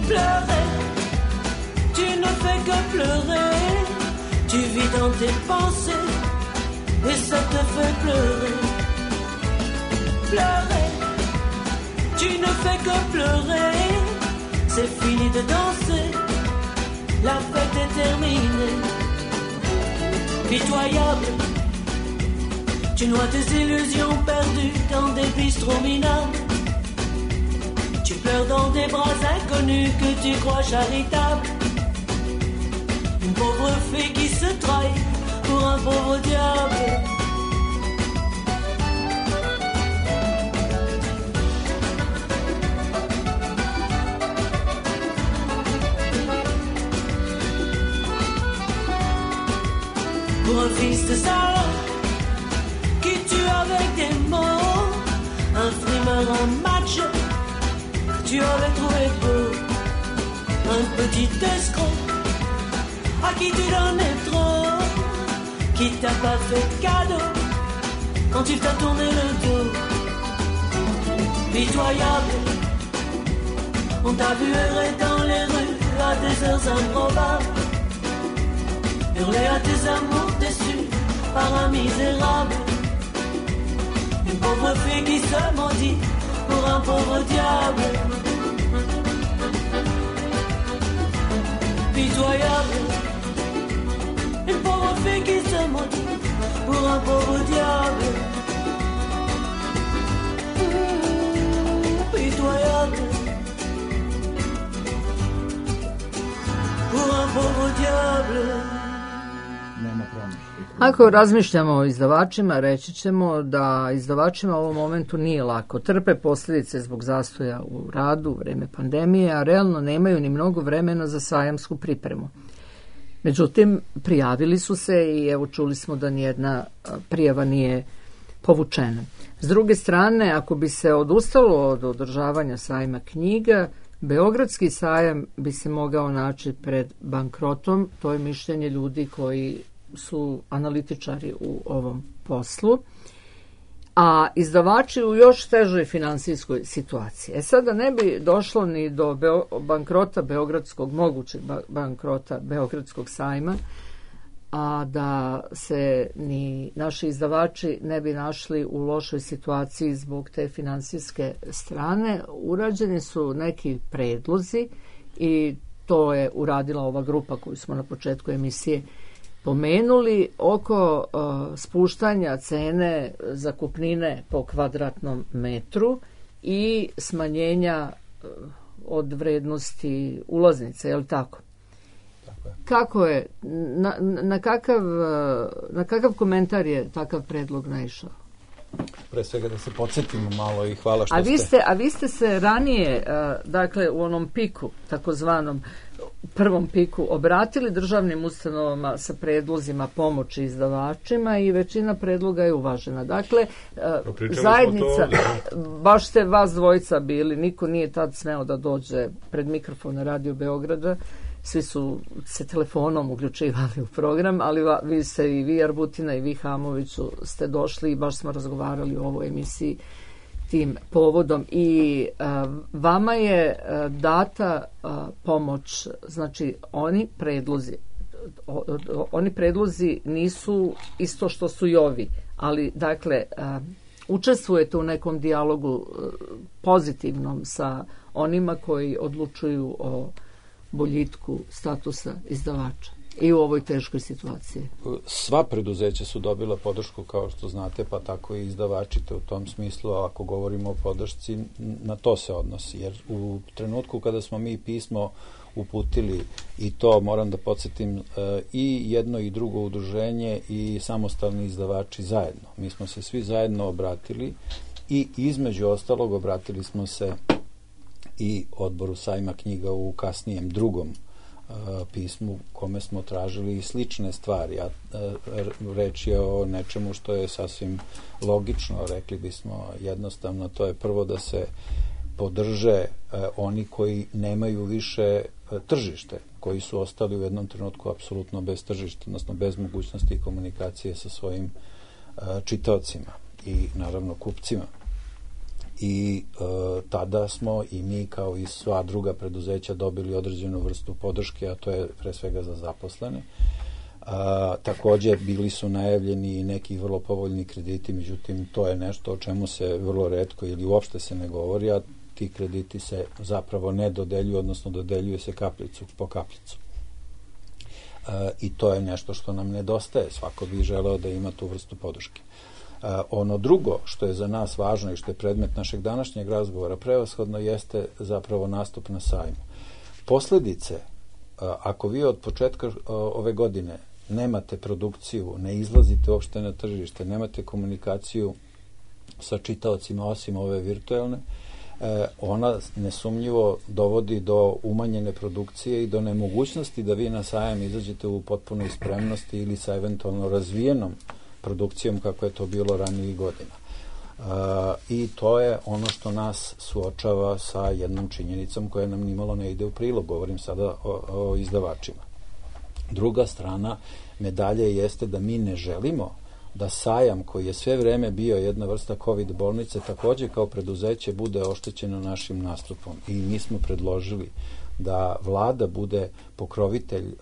Pleurer, tu ne fais que pleurer, tu vis dans tes pensées et ça te fait pleurer. Pleurer, tu ne fais que pleurer, c'est fini de danser, la fête est terminée. Pitoyable, tu noies tes illusions perdues dans des bistrots minables. Tu pleures dans des bras inconnus que tu crois charitables. Une pauvre fille qui se trahit pour un pauvre diable. Pour un fils de salaud qui tue avec des mots. Un frimeur, un macho tu avais trouvé beau, un petit escroc à qui tu donnais trop, qui t'a pas fait de cadeau quand il t'a tourné le dos. Pitoyable, on t'a vu errer dans les rues à des heures improbables, hurler à tes amours déçus par un misérable, une pauvre fille qui se mendie pour un pauvre diable. Pitoyable, une pauvre fille qui se maudit pour un pauvre diable. Mmh, pitoyable, pour un pauvre diable. Ako razmišljamo o izdavačima, reći ćemo da izdavačima u ovom momentu nije lako. Trpe posljedice zbog zastoja u radu, vreme pandemije, a realno nemaju ni mnogo vremena za sajamsku pripremu. Međutim, prijavili su se i evo čuli smo da nijedna prijava nije povučena. S druge strane, ako bi se odustalo od održavanja sajma knjiga, Beogradski sajam bi se mogao naći pred bankrotom. To je mišljenje ljudi koji su analitičari u ovom poslu, a izdavači u još težoj finansijskoj situaciji. E sada ne bi došlo ni do Beo, bankrota Beogradskog, mogućeg bankrota Beogradskog sajma, a da se ni naši izdavači ne bi našli u lošoj situaciji zbog te finansijske strane, urađeni su neki predlozi i to je uradila ova grupa koju smo na početku emisije pomenuli oko uh, spuštanja cene zakupnine po kvadratnom metru i smanjenja uh, od vrednosti ulaznice, je li tako? Tako je. Kako je, na, na, kakav, na kakav komentar je takav predlog naišao? Pre svega da se podsjetimo malo i hvala što a vi ste... ste... A vi ste se ranije, dakle u onom piku, takozvanom prvom piku, obratili državnim ustanovama sa predlozima pomoći izdavačima i većina predloga je uvažena. Dakle, Pričali zajednica, baš ste vas dvojica bili, niko nije tad smeo da dođe pred mikrofon Radio Beograda, svi su se telefonom uključivali u program, ali va, vi ste i vi Arbutina i vi Hamoviću ste došli i baš smo razgovarali o ovoj emisiji tim povodom i a, vama je a, data a, pomoć, znači oni predlozi o, o, oni predlozi nisu isto što su i ovi, ali dakle a, učestvujete u nekom dijalogu a, pozitivnom sa onima koji odlučuju o boljitku statusa izdavača i u ovoj teškoj situaciji. Sva preduzeća su dobila podršku, kao što znate, pa tako i izdavači, te u tom smislu, ako govorimo o podršci, na to se odnosi. Jer u trenutku kada smo mi pismo uputili, i to moram da podsjetim, i jedno i drugo udruženje i samostalni izdavači zajedno. Mi smo se svi zajedno obratili i između ostalog obratili smo se i odboru sajma knjiga u kasnijem drugom uh, pismu kome smo tražili i slične stvari, a uh, reč je o nečemu što je sasvim logično, rekli bismo jednostavno, to je prvo da se podrže uh, oni koji nemaju više uh, tržište, koji su ostali u jednom trenutku apsolutno bez tržišta, odnosno bez mogućnosti komunikacije sa svojim uh, čitaocima i naravno kupcima. I e, tada smo i mi kao i sva druga preduzeća dobili određenu vrstu podrške, a to je pre svega za zaposlene. A, također bili su najavljeni i neki vrlo povoljni krediti, međutim to je nešto o čemu se vrlo retko ili uopšte se ne govori, a ti krediti se zapravo ne dodeljuju, odnosno dodeljuje se kaplicu po kaplicu. A, I to je nešto što nam nedostaje, svako bi želeo da ima tu vrstu podrške. Uh, ono drugo što je za nas važno i što je predmet našeg današnjeg razgovora prevashodno jeste zapravo nastup na sajmu. Posledice, uh, ako vi od početka uh, ove godine nemate produkciju, ne izlazite uopšte na tržište, nemate komunikaciju sa čitaocima osim ove virtualne, uh, ona nesumnjivo dovodi do umanjene produkcije i do nemogućnosti da vi na sajam izađete u potpunoj spremnosti ili sa eventualno razvijenom produkcijom kako je to bilo ranijih godina. Uh, I to je ono što nas suočava sa jednom činjenicom koja nam nimalo ne ide u prilog. Govorim sada o, o izdavačima. Druga strana medalje jeste da mi ne želimo da sajam koji je sve vreme bio jedna vrsta COVID bolnice također kao preduzeće bude oštećeno našim nastupom. I mi smo predložili da vlada bude pokrovitelj e,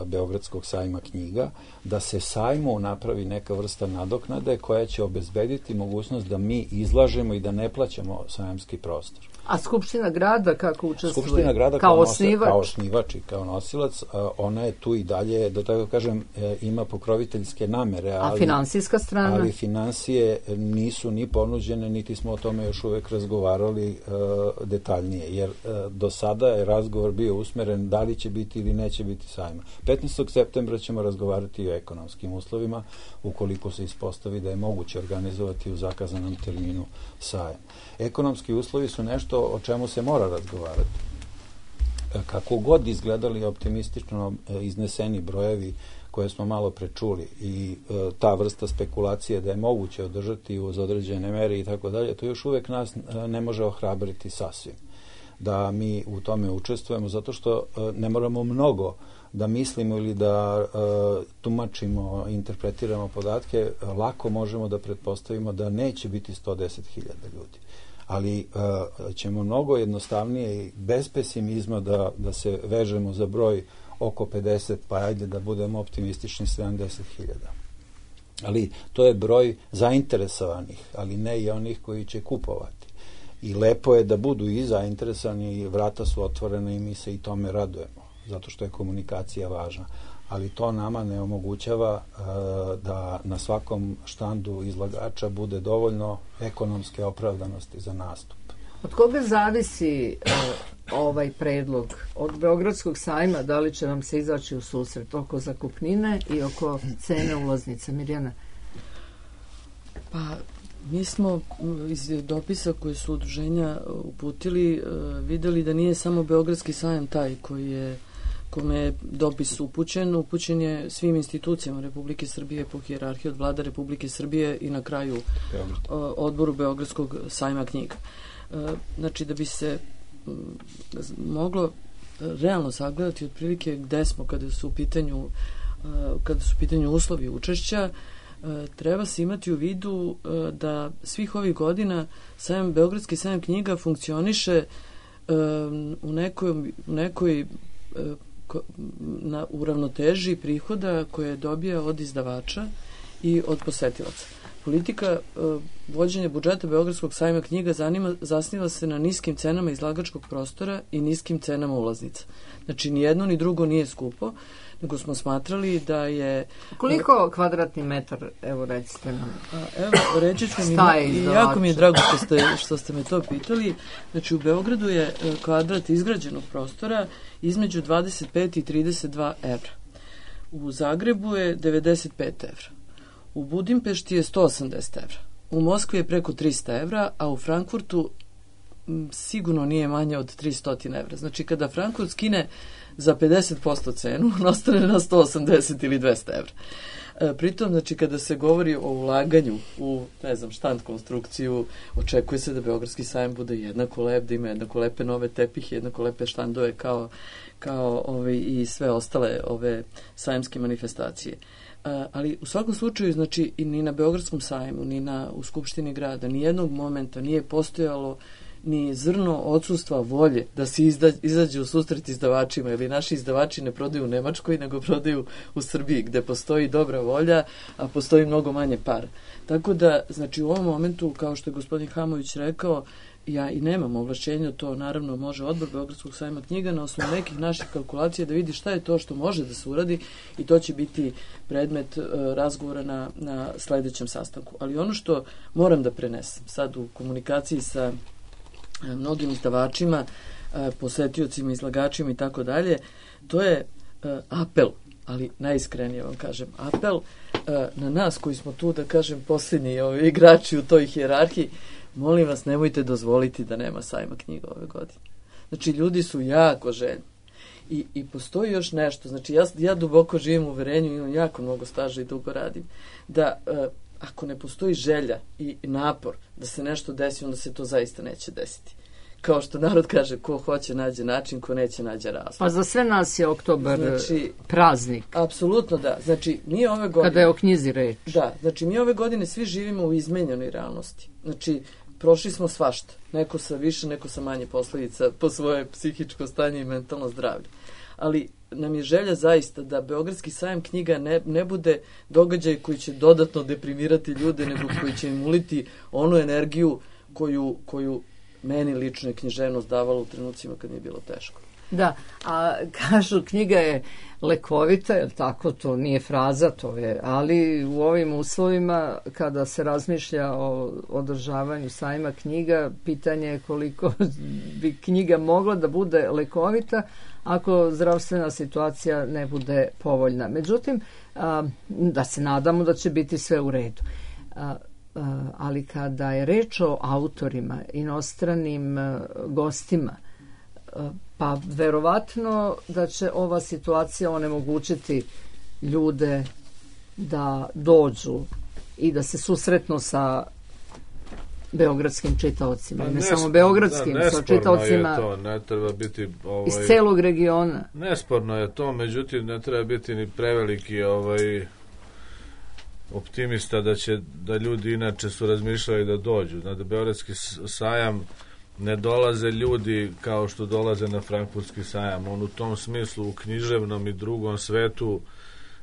Beogradskog sajma knjiga, da se sajmu napravi neka vrsta nadoknade koja će obezbediti mogućnost da mi izlažemo i da ne plaćamo sajamski prostor. A Skupština grada kako učestvuje? Skupština grada kao, kao, osnivač? kao osnivač i kao nosilac, ona je tu i dalje, da tako kažem, ima pokroviteljske namere. A ali, finansijska strana? Ali financije nisu ni ponuđene, niti smo o tome još uvek razgovarali uh, detaljnije, jer uh, do sada je razgovor bio usmeren da li će biti ili neće biti sajma. petnaestog septembra ćemo razgovarati i o ekonomskim uslovima, ukoliko se ispostavi da je moguće organizovati u zakazanom terminu sajam. Ekonomski uslovi su nešto o čemu se mora razgovarati. Kako god izgledali optimistično izneseni brojevi koje smo malo prečuli i e, ta vrsta spekulacije da je moguće održati uz određene mere i tako dalje, to još uvek nas e, ne može ohrabriti sasvim. Da mi u tome učestvujemo, zato što e, ne moramo mnogo da mislimo ili da e, tumačimo, interpretiramo podatke, lako možemo da pretpostavimo da neće biti sto deset hiljada ljudi. Ali uh, ćemo mnogo jednostavnije i bez pesimizma da, da se vežemo za broj oko pedeset, pa ajde da budemo optimistični, sedamdeset hiljada. Ali to je broj zainteresovanih, ali ne i onih koji će kupovati. I lepo je da budu i zainteresovani, i vrata su otvorene i mi se i tome radujemo, zato što je komunikacija važna. Ali to nama ne omogućava uh, da na svakom štandu izlagača bude dovoljno ekonomske opravdanosti za nastup. Od koga zavisi uh, ovaj predlog? Od Beogradskog sajma, da li će vam se izaći u susret oko zakupnine i oko cene ulaznica? Mirjana? Pa, mi smo iz dopisa koje su udruženja uputili uh, videli da nije samo Beogradski sajam taj koji je kome je dopis upućen, upućen je svim institucijama Republike Srbije po hijerarhiji od vlada Republike Srbije i na kraju uh, odboru Beogradskog sajma knjiga. Uh, znači, da bi se um, moglo realno sagledati otprilike gde smo kada su u pitanju uh, kada su u pitanju uslovi učešća, uh, treba se imati u vidu uh, da svih ovih godina sajam, Beogradski sajam knjiga funkcioniše uh, u nekoj, u nekoj uh, na uravnoteži prihoda koje dobija od izdavača i od posetilaca. Politika uh, vođenja budžeta Beogradskog sajma knjiga zanima, zasniva se na niskim cenama izlagačkog prostora i niskim cenama ulaznica. Znači, ni jedno ni drugo nije skupo, nego smo smatrali da je... Koliko uh, kvadratni metar, evo recite nam? A, evo, reći ću mi, i jako mi je drago što ste, što ste me to pitali. Znači, u Beogradu je kvadrat izgrađenog prostora između dvadeset pet i trideset dva evra. U Zagrebu je devedeset pet evra. U Budimpešti je sto osamdeset evra. U Moskvi je preko tristo evra, a u Frankfurtu m, sigurno nije manje od tristo evra. Znači, kada Frankfurt skine za pedeset posto cenu, on ostane na sto osamdeset ili dvesta evra. E, pritom, znači, kada se govori o ulaganju u, ne znam, štand konstrukciju, očekuje se da Beogradski sajam bude jednako lep, da ima jednako lepe nove tepihe, jednako lepe štandove kao, kao ove, i sve ostale ove sajamske manifestacije. Uh, ali u svakom slučaju, znači, i ni na Beogradskom sajmu, ni na, u Skupštini grada, ni jednog momenta nije postojalo ni zrno odsustva volje da se izda, izađe u susret izdavačima, ili naši izdavači ne prodaju u Nemačkoj, nego prodaju u Srbiji, gde postoji dobra volja, a postoji mnogo manje para. Tako da, znači, u ovom momentu, kao što je gospodin Hamović rekao, ja i nemam ovlašćenja, to naravno može odbor Beogradskog sajma knjiga na osnovu nekih naših kalkulacija da vidi šta je to što može da se uradi i to će biti predmet uh, razgovora na, na sledećem sastanku. Ali ono što moram da prenesem sad u komunikaciji sa uh, mnogim izdavačima, uh, posetiocima, izlagačima i tako dalje, to je uh, apel, ali najiskrenije vam kažem, apel uh, na nas koji smo tu, da kažem, posljednji ovi igrači u toj hijerarhiji. Molim vas, nemojte dozvoliti da nema sajma knjiga ove godine. Znači, ljudi su jako željni. I, i postoji još nešto. Znači, ja, ja duboko živim u uverenju, imam jako mnogo staža i dugo radim, da uh, ako ne postoji želja i napor da se nešto desi, onda se to zaista neće desiti. Kao što narod kaže, ko hoće nađe način, ko neće nađe razlog. Pa za sve nas je oktobar znači, praznik. Apsolutno da. Znači, mi ove godine... Kada je o knjizi reč. Da, znači mi ove godine svi živimo u izmenjenoj realnosti. Znači, prošli smo svašta. Neko sa više, neko sa manje posledica po svoje psihičko stanje i mentalno zdravlje. Ali nam je želja zaista da Beogradski sajam knjiga ne, ne bude događaj koji će dodatno deprimirati ljude, nego koji će im uliti onu energiju koju, koju meni lično je književnost davala u trenucima kad mi je bilo teško. Da, a kažu knjiga je lekovita, jer tako, to nije fraza, to je, ali u ovim uslovima kada se razmišlja o održavanju sajma knjiga, pitanje je koliko bi knjiga mogla da bude lekovita ako zdravstvena situacija ne bude povoljna. Međutim, a, da se nadamo da će biti sve u redu. A, a, ali kada je reč o autorima, inostranim a, gostima, a, pa verovatno da će ova situacija onemogućiti ljude da dođu i da se susretnu sa beogradskim čitaocima. Pa ne nes, samo beogradskim, da, sa čitaocima je to, ne treba biti, ovaj, iz celog regiona. Nesporno je to, međutim ne treba biti ni preveliki ovaj, optimista da će da ljudi inače su razmišljali da dođu. Da Beogradski sajam ne dolaze ljudi kao što dolaze na Frankfurtski sajam. On u tom smislu u književnom i drugom svetu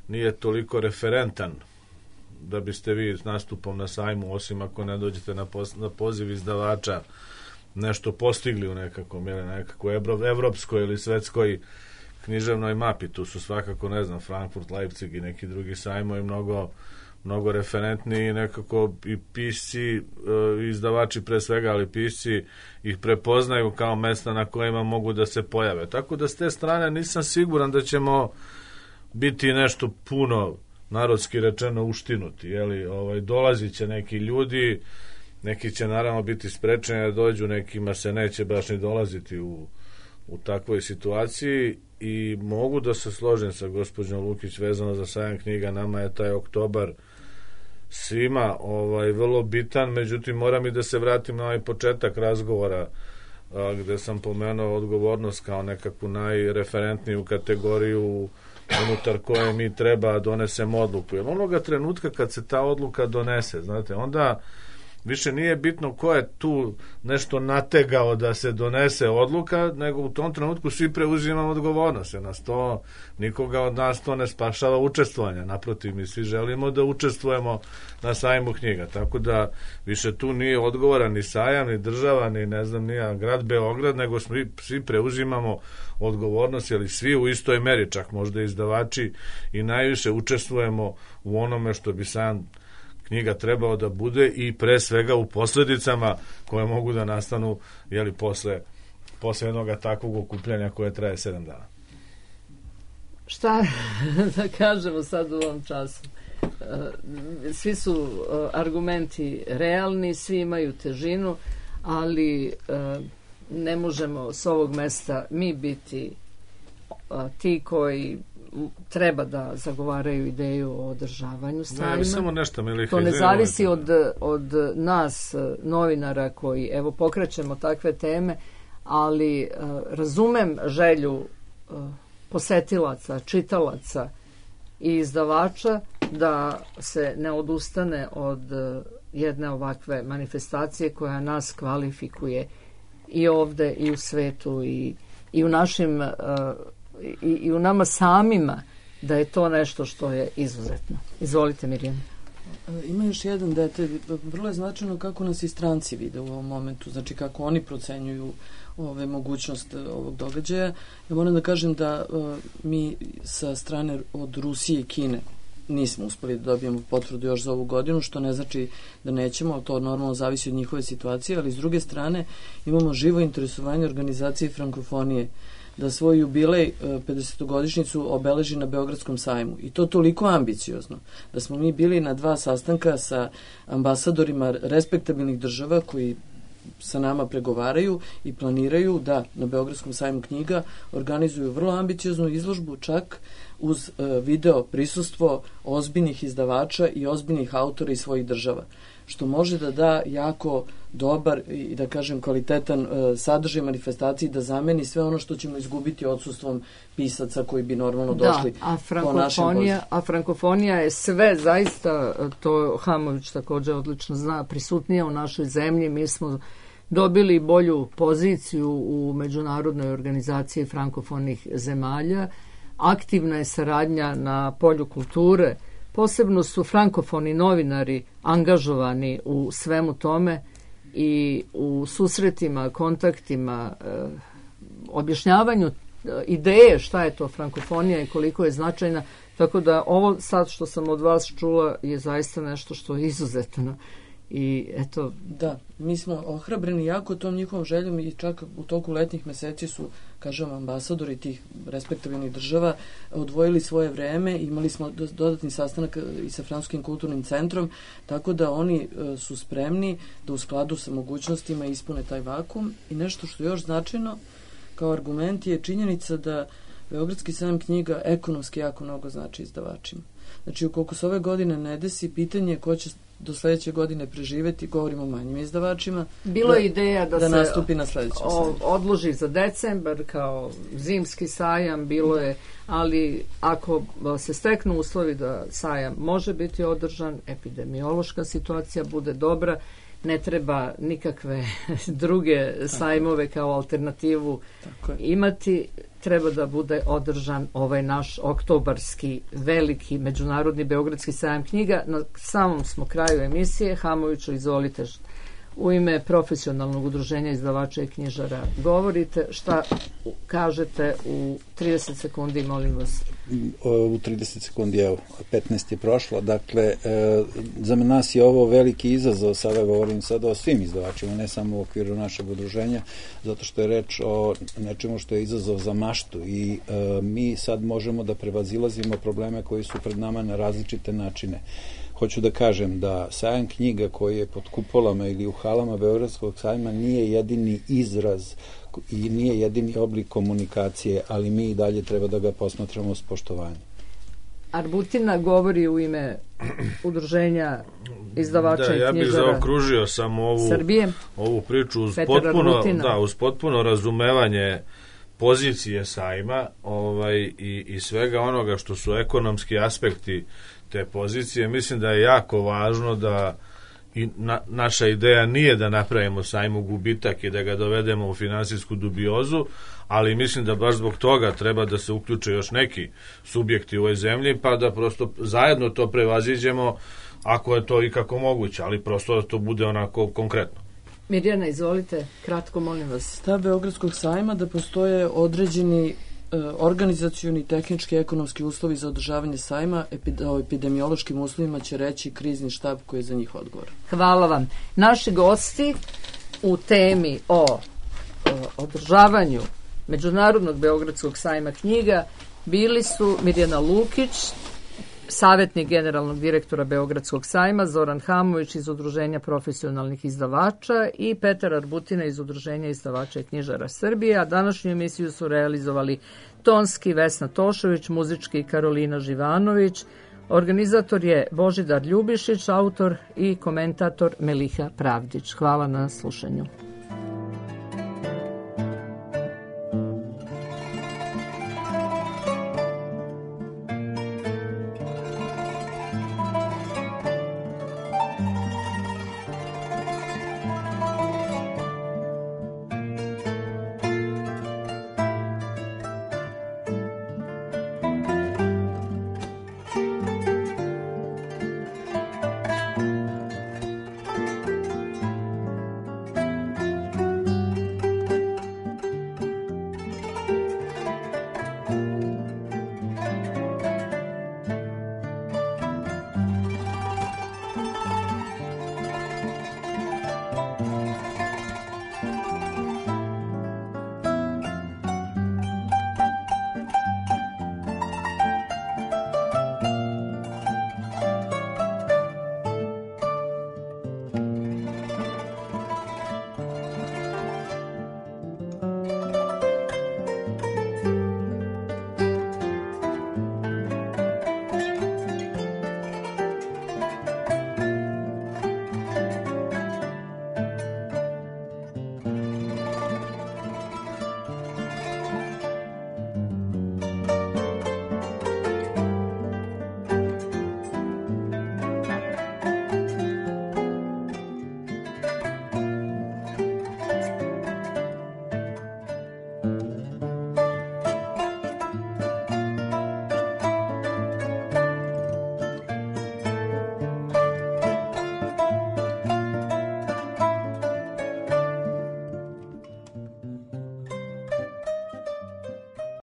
nije toliko referentan da biste vi s nastupom na sajmu, osim ako ne dođete na, pos, na poziv izdavača, nešto postigli u nekakvom, ili nekakvoj evropskoj ili svetskoj književnoj mapi. Tu su svakako, ne znam, Frankfurt, Leipzig i neki drugi sajmovi mnogo, mnogo referentni i nekako i pisci, izdavači pre svega, ali pisci ih prepoznaju kao mesta na kojima mogu da se pojave. Tako da s te strane nisam siguran da ćemo biti nešto puno, narodski rečeno, uštinuti. Jeli, ovaj, dolazit će neki ljudi, neki će naravno biti sprečeni da dođu, nekima se neće baš ni dolaziti u, u takvoj situaciji i mogu da se složim sa gospođom Lukić vezano za sajam knjiga. Nama je taj oktobar svima ovaj, vrlo bitan, međutim moram i da se vratim na ovaj početak razgovora a, gde sam pomenuo odgovornost kao nekakvu najreferentniju kategoriju unutar koje mi treba donesemo odluku. Jer onoga trenutka kad se ta odluka donese, znate, onda više nije bitno ko je tu nešto nategao da se donese odluka, nego u tom trenutku svi preuzimamo odgovornost. Jer nas to, nikoga od nas to ne spašava učestvovanja. Naprotiv, mi svi želimo da učestvujemo na sajmu knjiga. Tako da više tu nije odgovoran ni sajam, ni država, ni ne znam, ni grad Beograd, nego svi, svi preuzimamo odgovornost, jer svi u istoj meri, čak možda izdavači, i najviše učestvujemo u onome što bi sajam knjiga trebao da bude i pre svega u posledicama koje mogu da nastanu, jeli, posle, posle jednog takvog okupljanja koje traje sedam dana. Šta da kažemo sad u ovom času? Svi su argumenti realni, svi imaju težinu, ali ne možemo s ovog mesta mi biti ti koji treba da zagovaraju ideju o održavanju sajma. Ne, samo nešto, Miliha, to ne zavisi od, od nas, novinara, koji evo pokrećemo takve teme, ali uh, razumem želju uh, posetilaca, čitalaca i izdavača da se ne odustane od uh, jedne ovakve manifestacije koja nas kvalifikuje i ovde i u svetu i, i u našim uh, I, i u nama samima, da je to nešto što je izuzetno. Izvolite, Mirjana. Ima još jedan detalj. Vrlo je značajno kako nas i stranci vide u ovom momentu, znači kako oni procenjuju ove mogućnost ovog događaja. Ja moram da kažem da uh, mi sa strane od Rusije i Kine nismo uspeli da dobijemo potvrdu još za ovu godinu, što ne znači da nećemo, to normalno zavisi od njihove situacije, ali s druge strane imamo živo interesovanje organizacije frankofonije da svoj jubilej pedesetogodišnjicu obeleži na Beogradskom sajmu. I to toliko ambiciozno da smo mi bili na dva sastanka sa ambasadorima respektabilnih država koji sa nama pregovaraju i planiraju da na Beogradskom sajmu knjiga organizuju vrlo ambicioznu izložbu, čak uz video prisustvo ozbiljnih izdavača i ozbiljnih autora iz svojih država, što može da da jako dobar i, da kažem, kvalitetan uh, sadržaj manifestaciji, da zameni sve ono što ćemo izgubiti odsustvom pisaca koji bi normalno došli da, a po našem pozivu. A frankofonija je sve, zaista, to Hamović također odlično zna, prisutnija u našoj zemlji. Mi smo dobili bolju poziciju u međunarodnoj organizaciji frankofonih zemalja. Aktivna je saradnja na polju kulture. Posebno su frankofoni novinari angažovani u svemu tome i u susretima, kontaktima, eh, objašnjavanju ideje šta je to frankofonija i koliko je značajna. Tako da ovo sad što sam od vas čula je zaista nešto što je izuzetno. I eto... Da, mi smo ohrabreni jako tom njihovom željom i čak u toku letnjih meseci su, kažem, ambasadori tih respektabilnih država odvojili svoje vreme, imali smo dodatni sastanak i sa Francuskim kulturnim centrom, tako da oni su spremni da u skladu sa mogućnostima ispune taj vakum. I nešto što je još značajno kao argument je činjenica da Beogradski sajam knjiga ekonomski jako mnogo znači izdavačima. Znači, ukoliko se ove godine ne desi, pitanje ko će do sledeće godine preživeti, govorimo o manjim izdavačima. Bilo je ideja da, da se nastupi na sledećem sajmu. Odloži za decembar kao zimski sajam, bilo je, ali ako se steknu uslovi da sajam može biti održan, epidemiološka situacija bude dobra, ne treba nikakve druge sajmove kao alternativu imati, treba da bude održan ovaj naš oktobarski veliki međunarodni Beogradski sajam knjiga. Na samom smo kraju emisije. Hamoviću, izvolite, u ime profesionalnog udruženja izdavača i knjižara govorite, šta kažete u trideset sekundi, molim vas. U trideset sekundi, evo, petnaest je prošlo. Dakle, e, za nas je ovo veliki izazov, sada govorim sada o svim izdavačima, ne samo u okviru našeg udruženja, zato što je reč o nečemu što je izazov za maštu i e, mi sad možemo da prevazilazimo probleme koji su pred nama na različite načine. Hoću da kažem da sajam knjiga koji je pod kupolama ili u halama Beogradskog sajma nije jedini izraz i nije jedini oblik komunikacije, ali mi i dalje treba da ga posmatramo s poštovanjem. Arbutina govori u ime udruženja izdavača da, i knjižara ja bih zaokružio samo ovu, Srbije. ovu priču uz Petar potpuno, Arbutina. da, uz potpuno razumevanje pozicije sajma ovaj, i, i svega onoga što su ekonomski aspekti te pozicije. Mislim da je jako važno da i na, naša ideja nije da napravimo sajmu gubitak i da ga dovedemo u finansijsku dubiozu, ali mislim da baš zbog toga treba da se uključe još neki subjekti u ovoj zemlji, pa da prosto zajedno to prevaziđemo ako je to i kako moguće, ali prosto da to bude onako konkretno. Mirjana, izvolite, kratko, molim vas. Stav Beogradskog sajma da postoje određeni organizacioni, tehnički, ekonomski uslovi za održavanje sajma, o epidemiološkim uslovima će reći krizni štab koji je za njih odgovor. Hvala vam. Naši gosti u temi o, o održavanju Međunarodnog Beogradskog sajma knjiga bili su Mirjana Lukić, savjetnik generalnog direktora Beogradskog sajma, Zoran Hamović iz Udruženja profesionalnih izdavača i Petar Arbutina iz Udruženja izdavača i knjižara Srbije, a današnju emisiju su realizovali tonski Vesna Tošović, muzički Karolina Živanović, organizator je Božidar Ljubišić, autor i komentator Meliha Pravdić. Hvala na slušanju.